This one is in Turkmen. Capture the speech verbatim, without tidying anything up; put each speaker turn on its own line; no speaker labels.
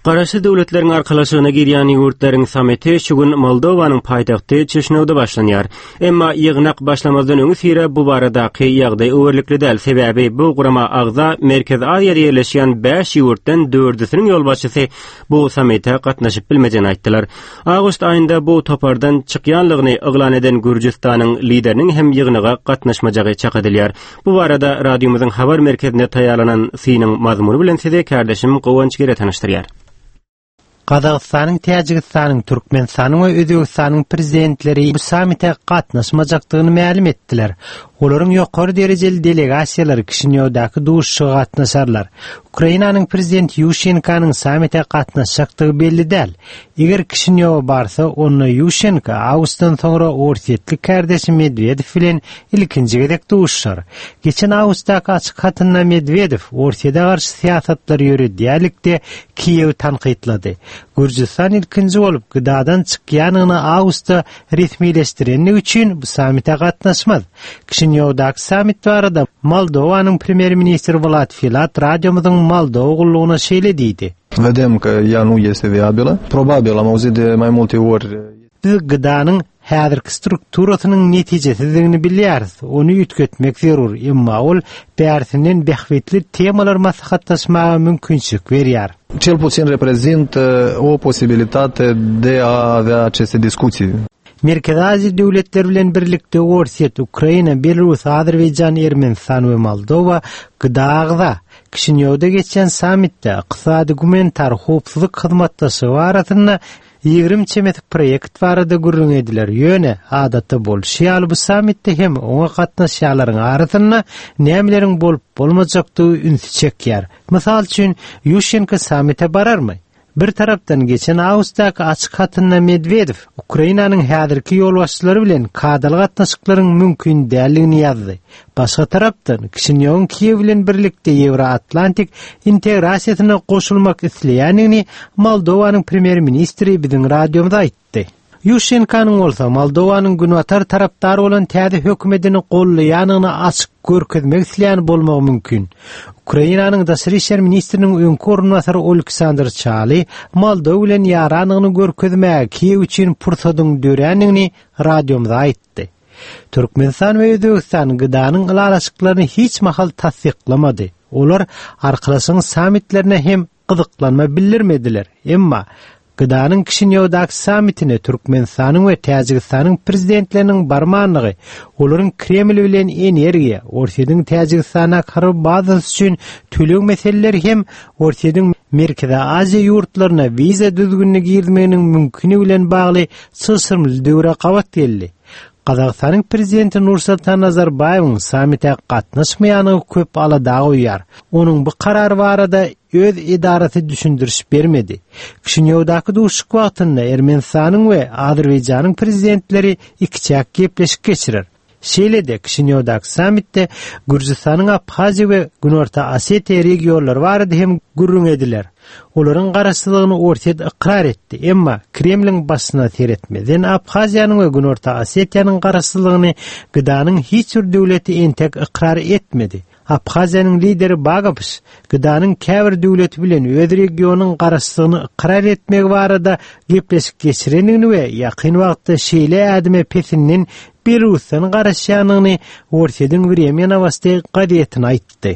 Garaşsyz Döwletleriň Arkalaşygyna girýän ýurtlaryň sammiti şu gün Moldowanyň paýtagty Çişinewde başlanýar. Emma ýygnak başlamazdan öňüsyra bu baradaky ýagdaý öwerlikli däl, sebäbi bu gurama agza Merkezi Aziýada ýerleşýän bäş ýurtdan dördüsiniň ýolbaşçysy bu sammite gatnaşyp bilmejegini aýtdylar. Awgust aýynda bu topardan çykýanlygyny yglan eden Gürjüstanyň lideriniň hem ýygnaga gatnaşmajagy çak edilýär. Bu barada radiomyzyň habar merkezinde taýýarlanan synyň mazmuny bilen sizi kärdeşim Guwanç Gere tanyşdyrýar.
Gazagystanyň, Täjigistanyň, Türkmenistanyň we Özbegistanyň prezidentleri bu sammite gatnaşmajakdygyny mälim etdiler. Olaryň ýokary derejeli delegasiýalary Kişinýowdaky duşuşyga gatnaşarlar. Ukrainanyň prezidenti Ýuşenkanyň sammite gatnaşjakdygy belli däl. Eger Kişinýowa barsa, onda Ýuşenka awgustdan soňra orsýetli kärdeşi Medwedew bilen ilkinji gezek duşuşar. Geçen awgustdaky açyk hatynda Medwedew Orsýete garşy syýasatlary ýöredýärlikde Kiýewi tankytlady. Gürjüstan ilkinji bolup G D A'dan çykýanyny awgustda resmileşdirenligi üçin bu sammite gatnaşmaz. Kişinýowdaky sammit barada Moldowanyň premýer-ministri Wlad Filat radiomyzyň Moldowa gullugyna şeýle diýdi.
Vedem că ea nu este viabilă. Probabil am auzit de mai multe ori.
Biz G D A'nyň häzirki strukturasynyň netijesizdigini bilýäris. Ony üýtgetmek zerur, emma ol bärsinden bähbitli temalar maslahatlaşmaga mümkinçilik berýär.
Cel puțin reprezintă o posibilitate de a avea aceste discuții.
Merkezi Aziýa döwletleri bilen birlikde Orsýet, Ukraina, Belarus, Azerbaýjan, Ermenistan we Moldowa G D A agza. Kişinýowda geçen sammitde ykdysady gumanitar howpsuzlyk hyzmatdaşlygy barasynda ýigrimi çemesi proýekt barada gürrüň ediler. Ýöne adatda bolşy ýaly bu sammitde hem oňa gatnaşýanlaryň arasynda nämeleriň bolup bolmajakdygy ünsi çekýär. Mysal üçin, Ýuşenko sammite bararmy? Bir tarapdan geçen awgustdaky açyk hatynda Medwedew Ukrainanyň häzirki ýolbaşçylary bilen kadaly gatnaşyklaryň mümkin däldigini ýazdy. Başga tarapdan Kişinýowyň Kiýew bilen birlikde Ýewroatlantik integrasiýasyna goşulmak isleýändigini Moldowanyň premýer-ministri biziň radiomyza aýtdy. Ýuşenkanyň bolsa Moldowanyň günbatar tarapdary bolan täze hökümetini gollaýanyny açyk görkezmek isleýän bolmagy mümkin. Ukrainanyň daşary işler ministriniň öňki orunbasary Oleksandr Çaly Moldowa bilen ýaranyny görkezmäge Kiýew üçin pursadyň dörändigini radiomyza aýtdy. Türkmenistan we Özbegistan G D A'nyň ylalaşyklaryny hiç mahal tassyklamady. Olar arkalaşygyň sammitlerine hem gyzyklanma bildirmediler. Emma G D A'nyň Kişinýowdaky sammitine Türkmenistanyň we Täjigistanyň prezidentleriniň barmanlygy, olaryň Kreml bilen energiýa, Orsýetiň Täjigistana harby bazasy üçin töleg meseleleri hem Orsýetiň Merkezi Aziýa ýurtlaryna wiza düzgünini girizmeginiň mümkini bilen bagly çylşyrymly döwre gabat geldi. Gazagystanyň prezidenti Nursultan Nazarbaýewiň sammite gatnaşmaýanyny köp alada goýýar. Onuň bu karary barada öz edarasy düşündiriş bermedi. Kişinýowdaky duşuşyk wagtynda Ermenistanyň we Azerbaýjanyň prezidentleri ikiçäk gepleşik geçirer. Şeýle-de Kişinýowdaky sammitde Gürjüstanyň Abhaziýa we Günorta Osetiýa regionlary barada hem gürrüň ediler. Olaryň garaşsyzlygyny Orsýet ykrar etdi, emma Kremliň başyna seretmeden Abhaziýanyň we Günorta Osetiýanyň garaşsyzlygyny G D A'nyň hiç bir döwleti entek ykrar etmedi. Abhaziýanyň lideri Bagapş G D A'nyň käbir döwleti bilen öz regionyň garaşsyzlygyny ykrar etmegi barada gepleşik geçirendigini we ýakyn wagtda şeýle ädime pesinden Belarusdan garaşýanyny Orsýetiň Vremya Novosti gazetine aýtdy.